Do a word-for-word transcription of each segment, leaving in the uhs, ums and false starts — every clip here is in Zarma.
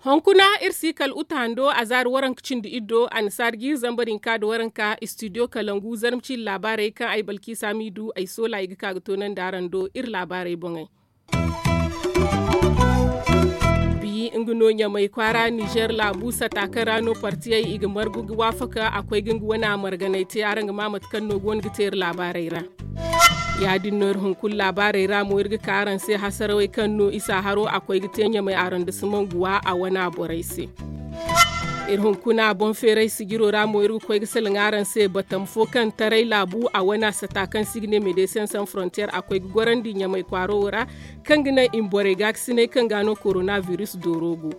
Hunkuna iri si kala uta hando a zaari waranka cindi iddo a na saari ga iri zambar hinka nda waranka istidiyo kalangu zarma ciiri laabaarey kaŋ ay balkiisa m'i du ay soola i ga ka ga toonandi araŋ do iri laabaarey boŋey. Bi nga no ɲamay kwaara nizer laabu sata kaŋ ra no partiyey i ga margu ga waafaka a koy ga nga wane a marganay te araŋ ga ma mate kaŋ no go no ga te iri laabaarey ra. Ya- din no iri hunkuna laabaarey ra mo iri ga ka araŋ se hasarawey kaŋ no isa haro a koy ga te ɲamay arondisimaŋ guwa a wane a borey se. Iri hunkuna boŋ feeray sijiro ra mo iri ga koy ga salaŋ araŋ se batam fo kaŋ taray laabu a wane a sata kaŋ se i ga ne medecin san frontier a koy ga gorandi ɲamay kwaaro wo ra, kaŋ ga naŋ i ma borey gaakasinay kaŋ ga no korona biris dooro go.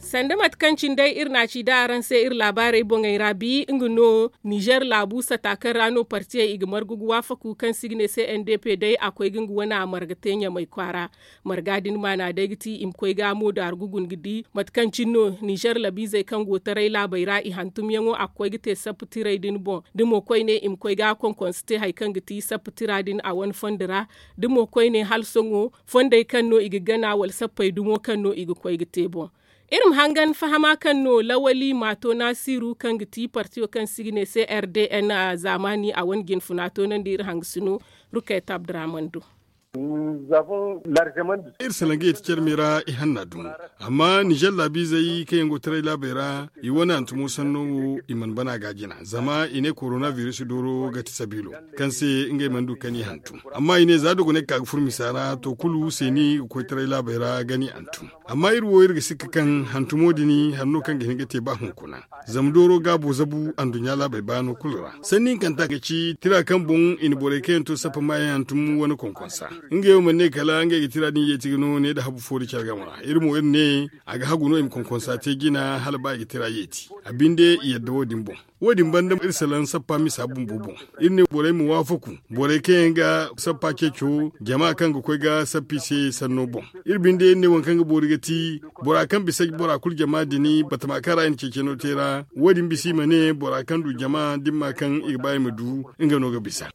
Sanda mate kaŋ cine day iri na a ci da araŋ se iri laabaarey boŋey ra bi nga no nizer laabu sata kaŋ ra no partiyey i ga margu ga waafaku kaŋ se i ga ne se n d p day a koy ga nga wane a marga te ɲamay kwaara. Marga din maana day ga ti i ma koy ga moodaari gugun ga di mate kaŋ cine no nizer labiizey kaŋ go taray laabey ra i hantumyaŋo a ga koy ga te sappa tirey din boŋ. Da mo koyne i ma koy ga konkonsa te hari kaŋ ga ti sappa tira din a wane fondo ra. Da mo koyne hala sohõ fondey kaŋ no i ga gana wala sappey dumo kaŋ no i ga koy ga te boŋ. Iri ma hangan fahama kaŋ no lawali maato naasiru kaŋ ga ti partiyo kaŋ se i ga ne se r d n zaamaani a wane jinfuna toonandi iri hangasino rukayta abdurahman do. Iri salaŋ ga i ti carmi ra i hanna dumi. Amma nizer laabiizey kaŋ yaŋ go taray laabey ra i wane hantumo sanno wo i mana bana ga a jina zama i ne korona biris dooro ga ti sabiilo kaŋ se ngey mana du ka ni hantum. Amma i ne za dogoney ga ka ga furo misa ra to kulu seeni ga koy taray laabey ra ga ni hantum. Amma iri wo iri ga sikka kaŋ hantumo din hari no kaŋ ga hin ga te ba hunkuna. Zama dooro gaabo zabu anduɲɲa laabey baano kulu ra sanni hinkanta ga ci tira kaŋ boŋ i na borey kaŋ yaŋ to sappa maayaŋ hantum wane konkonsa. Ngey wo mana ne kala ngey ga tira din yeeti ga no ne nda habu fo nda care game ra iri mo iri ne a ga hagu no i ma konkonsa te jina hala ba i ga tira yeeti. A binde i yadda wo- din boŋ. Wo- din banda iri salaŋ sappa misa bumbo boŋ. Iri ne borey ma waafaku borey kaŋ yaŋ ga sappa ceeco jama kaŋ ga koy ga sappa i se sanno boŋ. Iri binde iri ne waŋ kaŋ ga boori ga ti bora kaŋ bisa bora kulu jama din batama kaŋ ra i na ceeceno te ra. Wo- din bisa i ma ne bora kaŋ du jama dimma kaŋ i ga ba i ma du nga no ga bisa.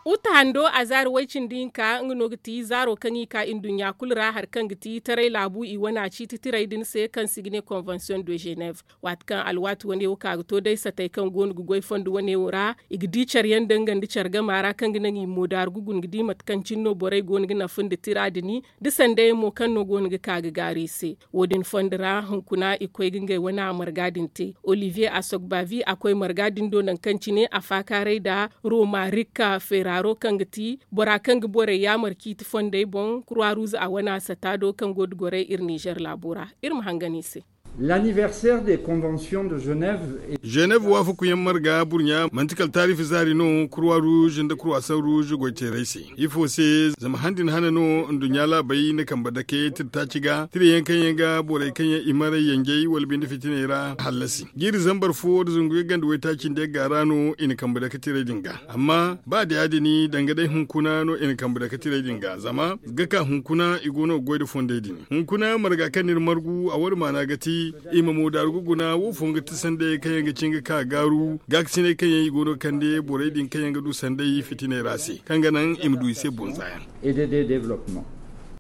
Uta hando a zaari way-cindi hinka nga no ga ti zaaro kaŋ i ka nduɲɲa kulu ra hari kaŋ ga ti taray laabu i wane a ciiti tirey din se kaŋ se i ga ne konvensiyoŋ de ženev. Waati kaŋ alwaati wane wo ka ga to day satey kaŋ go no ga goy fondo wane wo ra i ga di care yaŋ da nga nda care gama ra kaŋ ga naŋ i moodaaru ga guna ga di mate kaŋ cine no borey go no ga nafa nda tira din da sanday yaŋ mo kaŋ no go no ga ka ga gaaru i se. Wo- din fondo ra hunkuna i koy ga ngey wane a marga din te olivier asogbavi a koy marga din do nangu kaŋ cine a faakaaray nda romarika ferraro kaŋ ga ti bora kaŋ ga borey yaamar ciiti fondey boŋ kurwa ruuza a wane a sata do kaŋ go nda gorey iri nizer laabo ra. Iri ma hangan i se. L'anniversaire des conventions de genève. Genève waafakuyaŋ marga burɲa manti kala taarifi zaari no kurwa ruuza nda kurwa san ruuza goyteerey se. Ifo se? Zama han din hane no nduɲɲa laabey na kambe dake tira taaci ga tira yaŋ kaŋ yaŋ ga borey kaŋ yaŋ i maray yanjey wala binde fitiney ra hallasi jiiri zambar fo nda zangu yagga nda waytaaci nda yagga ra no i na kambe dake tirey din ga. Amma ba da ya- din danga day hunkuna no i na kambe dake tirey din ga zama ga ka hunkuna i go no ga goy nda fondey din. Hunkuna marga kaŋ no iri margu a wane maana ga ti i ma moodaaru ga guna wo- fo nga ti sanday kaŋ yaŋ ga cin ga ka gaaru gaakasinay kaŋ yaŋ i go no ga kande borey din kaŋ yaŋ ga du sanday fitiney ra se kaŋ ga naŋ i ma du i se bonza yaŋ.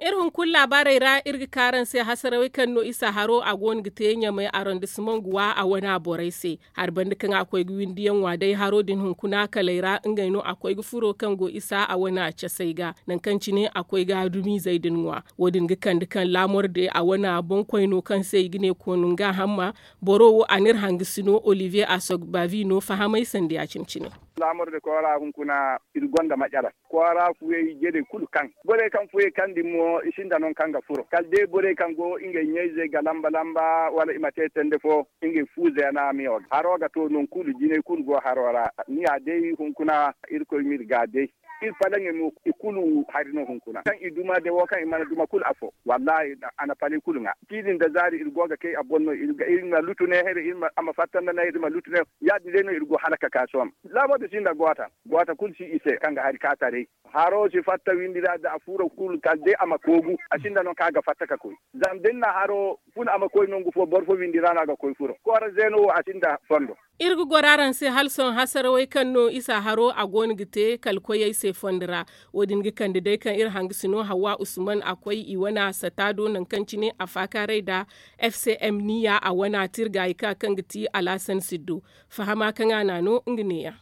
Iri hunkuna laabaarey ra iri ga ka araŋ se hasarawey kaŋ no isa haro a go no ga te ɲamay arondisimaŋ guwa a wane a borey se. Hari banda kaŋ a koy ga windiyaŋ ŋwa day haro din hunkuna kaley ra ngey no a koy ga furo kaŋ go isa a wane a casey ga nangu kaŋ cine a koy ga dumiizey din ŋwa. Wo- din ga kande kaŋ laamor de a wane a boŋ koyno kaŋ se i ga ne koonu nga hamma. Boro wo a n'iri hangasino olivier asogbavi no fahamay sanda ya- cine cine. Laamor de koora hunkuna iri gonda macara koora fuyey jere kulu kaŋ borey kaŋ fuyey kaŋ din mo i sinda non kaŋ ga furo kala day borey kaŋ go ngey ɲayzey ga lamba lamba wala i ma te tende fo. Ngey fuuze yana miyo ga haro ga to non kulu jinay kulu go haro ra. Ni ya day hunkuna irkoy m'iri ga day. Iri palaŋey mo i kulu hari no hunkuna kaŋ i duma de wo kaŋ i mana duma kulu afo. Wallaahi, a na paley kulu ŋwa. Ciidi nda zaari iri go ga kay a boŋ no iri ma lutu ne here iri ma fatta nda ne iri ma lutu ne. Ya- din day no iri go hala ka ka sohõ. Laabo din si nda goota. Goota kulu si i se kaŋ ga hari ka taray. Haro si fatta windi ra da a furo kulu kala day a ma koogu a sinda no kaŋ a ga fatta ka koy. Zama da ni na haro fun a ma koy nangu fo boro fo windi ra no a ga koy furo koora zeeno wo a sinda fondo. Iri ga goro araŋ se hala sohõ hasarawey kaŋ no isa haro a go no ga te kala koyey se fondo ra. Wo- din ga kande day kaŋ iri hangasino hawa usman a koy i wana sata do nangu kaŋ cine a faakaaray nda f c m niya a wana tirgaayi ka kaŋ ga ti alaasan siddo. Fahama kaŋ a n'a no nga neeyaŋ.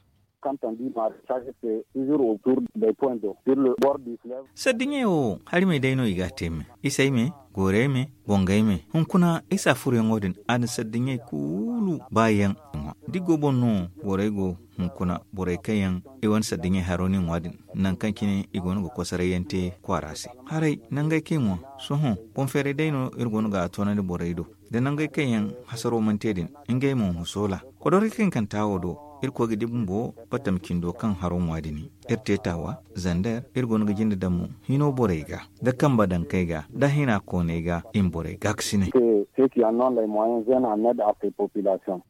Sardiɲey wo hari me day no i ga a te me. Isey me, goorey me, bongey me hunkuna isa furuyaŋo din a na sardiɲey kulu baayaŋ. Ŋwa da i go boŋ no borey go hunkuna borey kaŋ yaŋ i wane sardiɲey haro no i ŋwa din. Nangu kaŋ cine i go no ga kosarayyaŋ te kwaara se. Haray nangey kaŋ i ŋwa sohõ boŋ feeray day no iri go no ga a toonandi borey do. Da nangey kaŋ yaŋ hasaro mana te din ngey mo ma soola. Kodorey kaŋ i kanta wo do iri koy ga di bumbo batama cindo kaŋ haro ŋwa din. Iri te taawa zander iri go no ga jinde daŋ mo hino borey ga da kambe dankey ga da hina kooney ga i ma borey gaakasinay.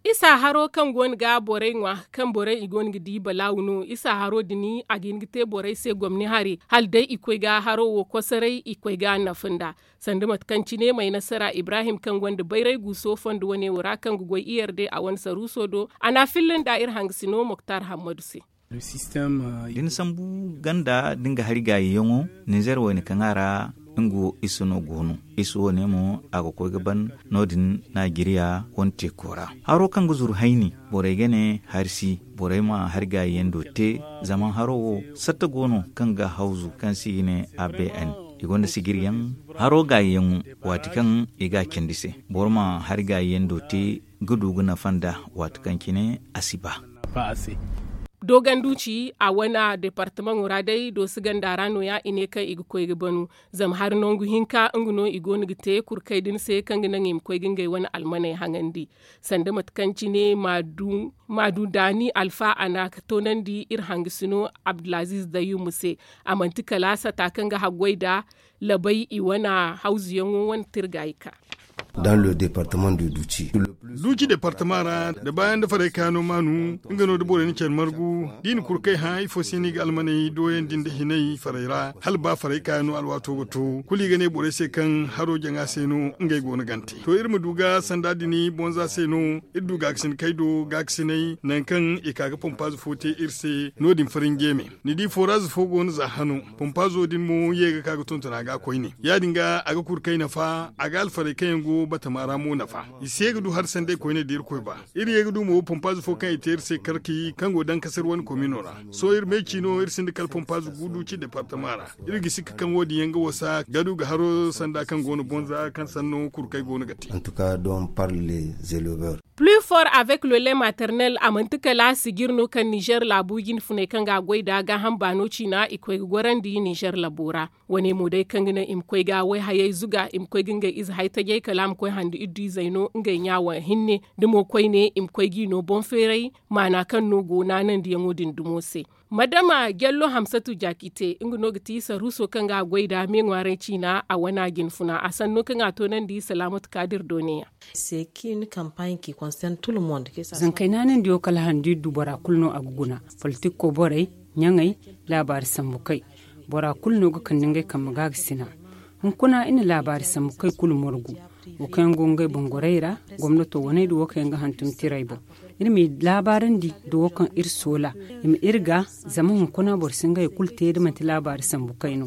Isa haro kaŋ go no ga borey ŋwa kaŋ borey i go no ga di balaawu no isa haro din a ga hin ga te borey se gomni hari hala day i koy ga haro wo kosoray i koy ga nafa nda. Sanda mate kaŋ cine may nasara ibrahim kaŋ gonda bayray guuso fondo wane wo ra kaŋ ga goy iyar day a wane saruuso do a n'a filla nda iri hangasino moktar hammadu se. Da ni sambu ganda da nga hari gaayiyaŋo ninzeer wayne kaŋ a ra nga wo isa no go no. Isa wo- ne mo a ga koy ga ban no- din najeriya wane teeko ra. Haro kaŋ ga zuru hayni borey ga ne hari si borey ma hari gaayiyaŋ do te. Zama haro wo satta go no kaŋ ga hawzu kaŋ se i ga ne a b n. I gonda sijiryaŋ haro gaayiyaŋo waati kaŋ i ga a candi se boro ma hari gaayiyaŋ do te ga du ga nafa nda waati kaŋ cine a si ba. Dooganduci a wane departamaŋo ra day doosi ganda ra no- ya i ne kaŋ i ga koy ga banu. Zama hari nangu hinka nga no i go no ga te kurkey din se kaŋ ga naŋ i ma koy ga ngey wane almaney haŋandi. Sanda mate kaŋ cine maadu daani alfa a na ka toonandi iri hangasino abdulaziiz dayumu se. A manti kala sata kaŋ ga haggoy nda labay i wane hawzuyaŋo wane tirgaayi ka. Duuci departama ra da baayaŋ da farey kaayaŋo maanu nga no da borey na care margu da i na kurkey hã ifo se no i ga almaney dooyandi nda hinay farey ra hala ba farey kaayaŋo alwaato ga to kulu i ga ne borey se kaŋ haro jaŋa se no ngey go no gante to iri ma du ga sanda din bonza se no. Iri du gaakasin kay do gaakasiney nangu kaŋ i ka ga pompaaze fo te iri se no- din farinje me. Ni di foraaze fo go no za hano pompaazo din mo ye ga ka ga tonton a ga koyne ya- din ga a ga kurkey nafa a ga alfarey kaŋ yaŋ go batama ra mo nafa. I si ye ga du hari sanday koyne da irkoy ba. Iri ye ga du mo pompaaze fo kaŋ i te iri se karki kaŋ go dankasar wane komino ra. Sohõ iri meeci no iri sinda kala pompaaze guudu ci departama ra. Iri ga sikka kaŋ wo- din yaŋ ga wasa ga du ga haro sanda kaŋ go no bonza kaŋ sanno kurkey go no ga te. Plus fort avec le lait maternel a manti kala sijir no kaŋ nizer laabu jinfuney kaŋ ga a goy nda gaaham baano ciina i koy ga gorandi nizer labo ra. Wane mo day kaŋ ga naŋ i ma koy ga wayhayey zuga i ma koy ga ngey ize hay tajey kala a ma koy handi iddu izey no ngey ɲaawa hinne da mo koyne i ma koy g'i no boŋ feeray maana kaŋ no go naanandiyaŋo din dumo se. Madama jallo hamsatu jaakite nga no ga ti saruuso kaŋ ga a goy nda me ŋwaaray ciina a wana jinfuna a sanno kaŋ a toonandi salaamatu kaadir do ne- ya. Zankey naanandiyo kala handu iri du bora kulu no a ga guna, politikko borey, ɲaŋey, laabaari sambu kay. Bora kulu no ga kande ngey kambe ga ga sina. Hunkuna iri na laabaari sambu kay kulu margu. Wo kaŋ yaŋ go ngey boŋ gorey ra, gomnato waney da wo kaŋ yaŋ ga hantum tirey boŋ. Iri m'i laabaarandi da wo kaŋ iri soola i ma iri ga. Zama hunkuna boro si ngey kulu te da manti laabaari sambu kay no.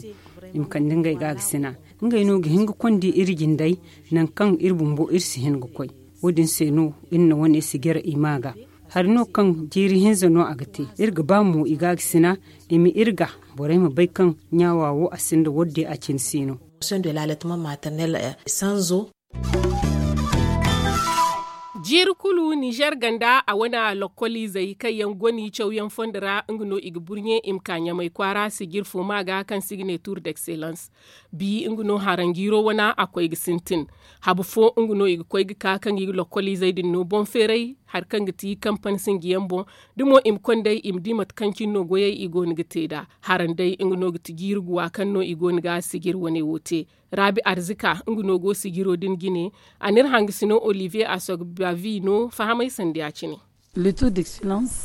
I ma kande ngey ga ga sina. Ngey no ga hin ga kondi iri jindey nangu kaŋ iri bumbo iri si hin ga koy. Wo- din se no iri na wane si jare i ma ga. Hari no kaŋ jiiri hinza no a ga te iri ga ba mo i ga ga sina. I ma iri ga borey ma bay kaŋ ɲaawa wo a sinda wadde a cine si no. Jiiri kulu nizer ganda a wane lokkoliizey kaŋ yaŋ goni cawyaŋ fondo ra nga no i ga burɲe i ma ka ɲamay kwaara sijir fo ma ga kaŋ se i ga ne tuur d'excellence. Bi nga no haranjiiro wana a koy ga sintin. Habu fo nga no i ga koy ga ka kaŋ i ga lokkoliizey din no boŋ feeray. hari kaŋ ga ti kampani sinjiyaŋ boŋ. Da mo i ma konday i ma di mate kaŋ cine no goyey i go no ga te nd'a. Haran day nga no ga ti jiiri guwa kaŋ no i go no ga sijir wane wo te. Raabi arzika nga no go sijiro din jine. A n'iri hangasino olivier asogbavino fahamay sanda ya-cine.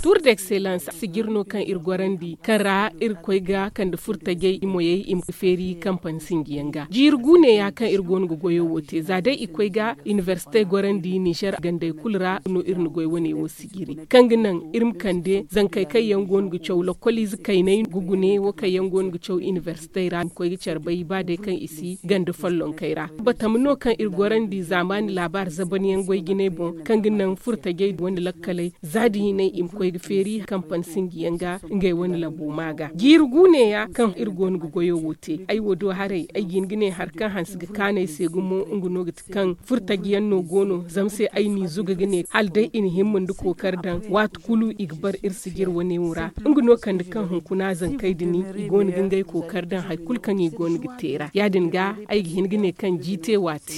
Tuur d'excellence sijir no kaŋ iri gorandi kaŋ ra iri koy ga kande furtajey i moyey i ma feeri kampani sinjiyaŋ ga jiiri guune ya kaŋ iri go no ga goyo wo te za day i koy ga inibersite gorandi nizer gandey kulu ra no iri na goy wane wo sijiri kaŋ ga naŋ iri ma kande zankey kaŋ yaŋ go no ga caw lokoliize kayney ga gune wo kaŋ yaŋ go no ga caw inibersitey ra i ma koy ga care bay ba day kaŋ i si ganda follonkey ra. Batama no kaŋ iri gorandi zaamaani laabaari zabanyaŋ goy jinay boŋ kaŋ ga naŋ furtajey wane lakkaley za da hinay i ma koy ga feeri kampani sinjiyaŋ ga ngey wane labo ma ga jiiri guune ya kaŋ iri go no ga goyo wo te ay wo do haray ay ga hin ga ne hari kaŋ hanse ga kaanu ay se gumo nga no ga ti kaŋ furtajiyaŋ no go no zama se ay n'i zuga ga ne hala day i na himma nda kookari daŋ waati kulu i ga bar iri sijir wane wo ra. Nga no kande kaŋ hunkuna zankey din i go no ga ngey kookari daŋ hari kulu kaŋ i go no ga te ra ya- din ga ay ga hin ga ne kaŋ jiite waati.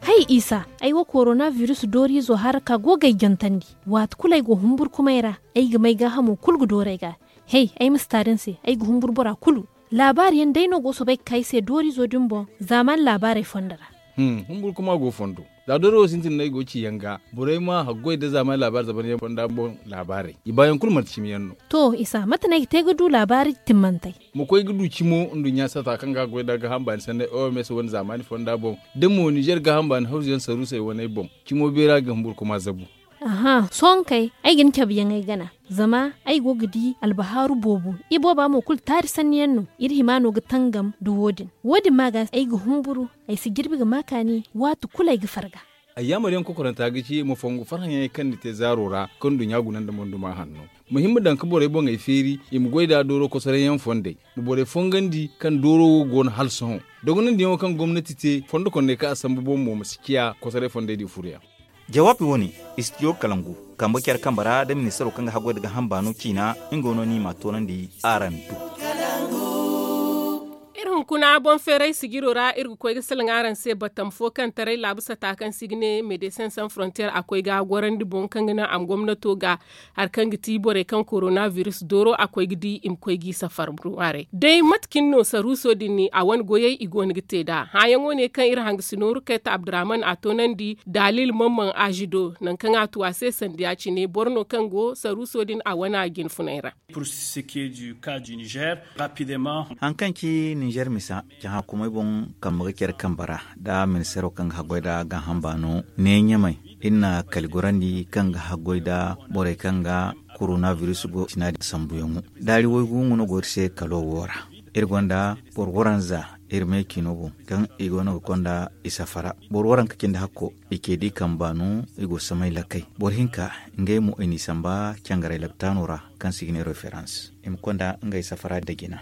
Hay isa, ay wo korona biris dooriizo hara ka go ga ay jantandi. Waati kulu ay go humburkumay ra ay ga may gaahamo kulu ga doori ay ga. Hey, ay ma si taari ni se ay ga humburu bora kulu. Laabaari yaŋ day no go soobay ga ka ay se dooriizo din boŋ. Zaamaani laabaarey fondo ra. Humburu kuma go fondo. Za doori wo sintin no ay go ga ci yaŋ ga borey ma haggoy nda zaamaani laabaari zabanyaŋ fonda boŋ. Laabaarey i baayaŋ kulu manti cimi yaŋ no. To isa mate no ay ga te ga du laabaari timmantey? Ma koy ga du cimo nduɲɲa sata kaŋ ga goy nda gaaham baani sanney oms wane zaamaani fonda boŋ da mo nizer gaaham baani hawzu yaŋ saruusey waney boŋ. Cimo beera ga humburu kuma zabu. Aha sohõ kay, ay ga ni cabe yaŋ ay gana. Zama ay go ga di albahaaru boobo. Ibooba mo kulu taari sanni yaŋ no. Iri hima no ga tangam nda wo- din. Wo- din ma ga ay ga humburu. Ay si jirbi ga ma kaani waati kulu ay ga farga. Ay yaamar yaŋ kokoranta ga ci ma fongu farhã yaŋey kaŋ ni te zaaro ra kaŋ nduɲɲa guna nda monduma hanno. Ma hima daŋ ga borey boŋey feeri i ma goy nd'a dooro kosoray yaŋ fondey. Ma borey fongandi kaŋ dooro wo go no hala sohõ. Dogonandiyaŋo kaŋ gomnati te fondo kondey kaŋ a sambu boŋ mo ma si ciya kosoray fondey din furo yaŋ. Jawaabi wo- ne, istidiyo kalangu kambe care kambe ra nda ministaro kaŋ ga haggoy nda gaaham baano ciina. Nga no ni m'a toonandi araŋ do. Iri hunkuna boŋ feeray sijiro ra iri ga koy ga salaŋ araŋ se batam fo kaŋ taray laabu sata kaŋ se i ga ne medesin san frontier a koy ga gorandi boŋ kaŋ ga naŋ a ma gomnato ga hari kaŋ ga ti borey kaŋ korona biris dooro a koy ga di i ma koy g'i safar ŋwaaray day mate cine no saruuso din ni a wane goyey i go no ga te nd'a hããyaŋo ne kaŋ iri hangasino rukayta abdurahman a toonandi daalil mamman aazi do nangu kaŋ a tu a se sanda ya- cine boro no kaŋ go saruuso din a wane a jinfunay ra. Hari kaŋ ci nizer misa cahã kumay boŋ kambe ga care kambe ra nda ministeero kaŋ ga haggoy nda gaaham baano ne ɲamay iri na kali gorandi kaŋ ga haggoy nda borey kaŋ ga korona biris go cina din sambuyaŋo daari waygu nga no go iri se kalo wo ra. Iri gonda boro waranza iri me ciino boŋ kaŋ i go no ga konda i safara boro waranka cindi hakko i ce da i kamba no i go samay lakkay boro hinka ngey mo i n'i samba cangaray laptaano ra kaŋ se i ga ne referans i ma konda ngey safara da jina.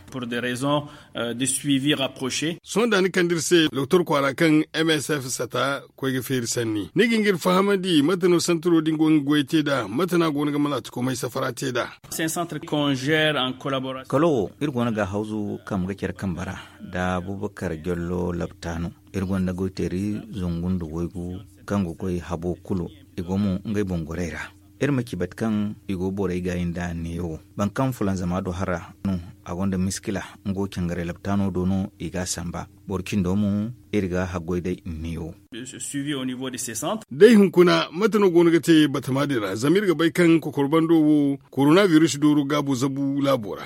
Sohõ da ni kande iri se doktor kwaara kaŋ msf sata koy ga feeri sanni ni ga hin ga iri fahamandi mate no santaro din go ga goy te nd'a mate no a go no ga malaatikomey safara te nd'a? Kalo wo iri go no ga hawzu kaŋ ga care kambe ra nda abubakar jallo laptaano. Iri gonda goyteeri zangu nda waygu kaŋ ga goy habo kulu i go mo ngey boŋ gorey ra. Iri ma ci bate kaŋ i go borey gaayi nda neewo boro kaŋ fulanzama do hara no a gonda miskila. Nga wo cangaray laptaano do no i ga a samba boro cindo mo iri ga haggoy day neewo. Day hunkuna mate no go no ga te batama din ra zama iri ga bay kaŋ kokor bando wo korona biris dooro gaabo zabu laabo ra.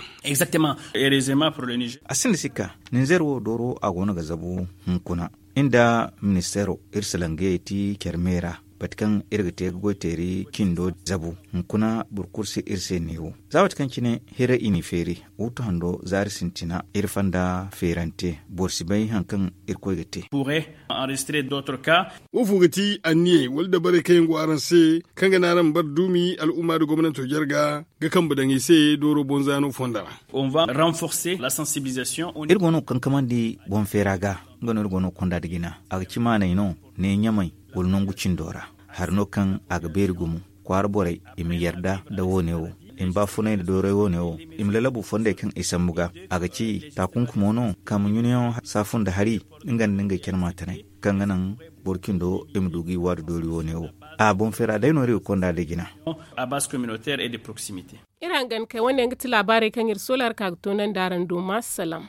A sinda sikka ninzeer wo dooro a go no ga zabu hunkuna. Iri nda ministeero iri salangayey ti care me ra bate kaŋ iri ga te ga goyteeri cindo zabu hunkuna boro kulu si iri se neewo za waati kaŋ cine hira i n'i feeri. Wuttu hando zaari sintina iri fonda feerante boro si bay hari kaŋ irkoy ga te. Woofo ga ti anniyey wala dabarey kaŋ yaŋ go araŋ se kaŋ ga naŋ araŋ ma bare duumi al'umma nda gomnanto jarga ga kambe daŋ i se dooro boŋ zaano fonda ra? Iri go no ga kankamandi boŋ feera ga. Nga no iri go no ga konda nda jina a ga ci maaney no ne ɲamay wala nangu cindo ra. Hari no kaŋ a ga beeri gumo kwaara borey i ma yarda nda wo- ne wo i ma baafunay nda dooray wo- ne wo i ma lalabu fondey kaŋ i sambu ga. A ga ci taakunkumo no kaŋ ma ɲunayaŋo saafu nda hari nga nda ngey care maatanay. kaŋ ga naŋ boro cindo i ma du ga i waadu doori wo-ne wo. A boŋ feera day no iri ga konda da jina. Iri hangan kay wane yaŋ ga ti laabaarey kaŋ iri soolaari ka ga toonandi araŋ do ma salaŋ.